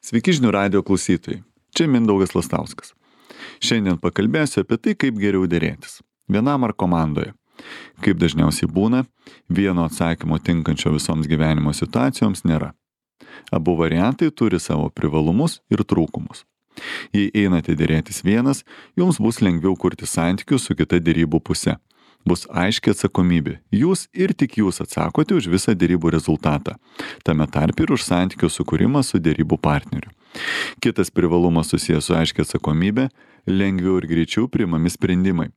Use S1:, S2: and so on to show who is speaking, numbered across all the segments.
S1: Sveiki žinių radijo klausytojai. Čia Mindaugas Lastauskas. Šiandien pakalbėsiu apie tai, kaip geriau derėtis. Vienam ar komandoje. Kaip dažniausiai būna, vieno atsakymo tinkančio visoms gyvenimo situacijoms nėra. Abu variantai turi savo privalumus ir trūkumus. Jei einate derėtis vienas, jums bus lengviau kurti santykius su kita derybų puse. Bus aiški atsakomybė. Jūs ir tik jūs atsakote už visą derybų rezultatą. Tame tarpe ir už santykių sukūrimą su derybų partneriu. Kitas privalumas susijęs su aiškia atsakomybė - lengviau ir greičiau priimami sprendimai.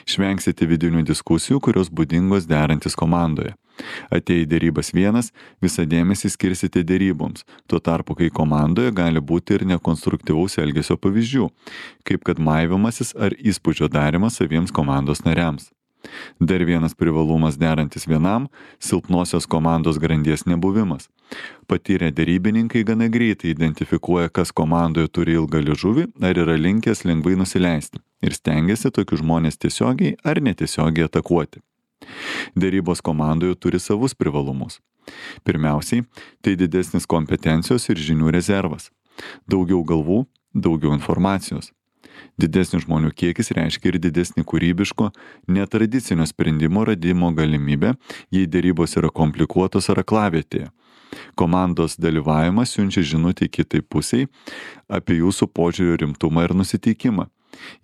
S1: Išvengsite vidinių diskusijų, kurios būdingos derantis komandoje. Atėję į derybas vienas, visą dėmesį skirsite deryboms. Tuo tarpu, kai komandoje gali būti ir nekonstruktyvaus elgesio pavyzdžių, kaip kad maivimasis ar įspūdžio darimas saviems komandos nariams. Dar vienas privalumas derantis vienam - silpnosios komandos grandies nebuvimas. Patyrę derybininkai gana greitai identifikuoja, kas komandoje turi ilgą liežuvį ar yra linkęs lengvai nusileisti ir stengiasi tokius žmonės tiesiogiai ar netiesiogiai atakuoti. Derybos komandoje turi savus privalumus. Pirmiausiai, tai didesnis kompetencijos ir žinių rezervas. Daugiau galvų, daugiau informacijos. Didesnis žmonių kiekis reiškia ir didesnį kūrybiško, netradicinio sprendimo radimo galimybę, jei derybos yra komplikuotos ar aklavietėje. Komandos dalyvavimas siunčia žinutę kitai pusiai apie jūsų požiūrio rimtumą ir nusiteikimą.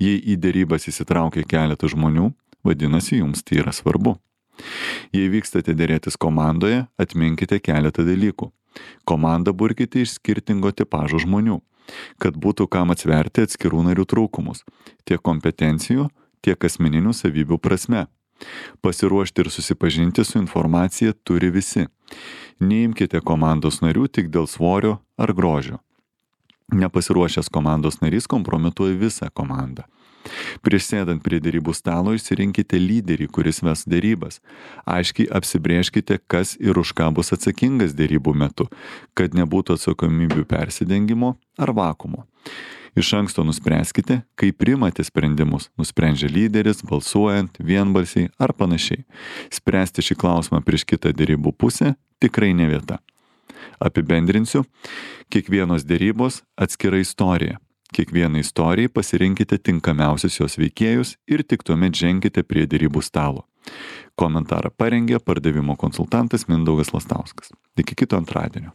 S1: Jei į derybas įsitraukia keletas žmonių, vadinasi, jums tai yra svarbu. Jei vykstate derėtis komandoje, atminkite keletą dalykų. Komandą burkite iš skirtingo tipažo žmonių, kad būtų kam atsverti atskirų narių trūkumus, tiek kompetencijų, tiek asmeninių savybių prasme. Pasiruošti ir susipažinti su informacija turi visi. Neimkite komandos narių tik dėl svorio ar grožio. Nepasiruošęs komandos narys kompromituoja visą komandą. Prieš sėdant prie derybų stalo išsirinkite lyderį, kuris ves derybas. Aiškiai apsibrėžkite, kas ir už ką bus atsakingas derybų metu, kad nebūtų atsakomybių persidengimo ar vakumo. Iš anksto nuspręskite, kaip priimate sprendimus, nusprendžia lyderis, balsuojant, vienbalsiai ar panašiai. Spręsti šį klausimą prieš kitą derybų pusę tikrai ne vieta. Apibendrinsiu, kiekvienos derybos atskira istorija. Kiekvieną istorijai pasirinkite tinkamiausius jos veikėjus ir tik tuomet ženkite prie derybų stalo. Komentarą parengė pardavimo konsultantas Mindaugas Lastauskas. Iki kito antradienio.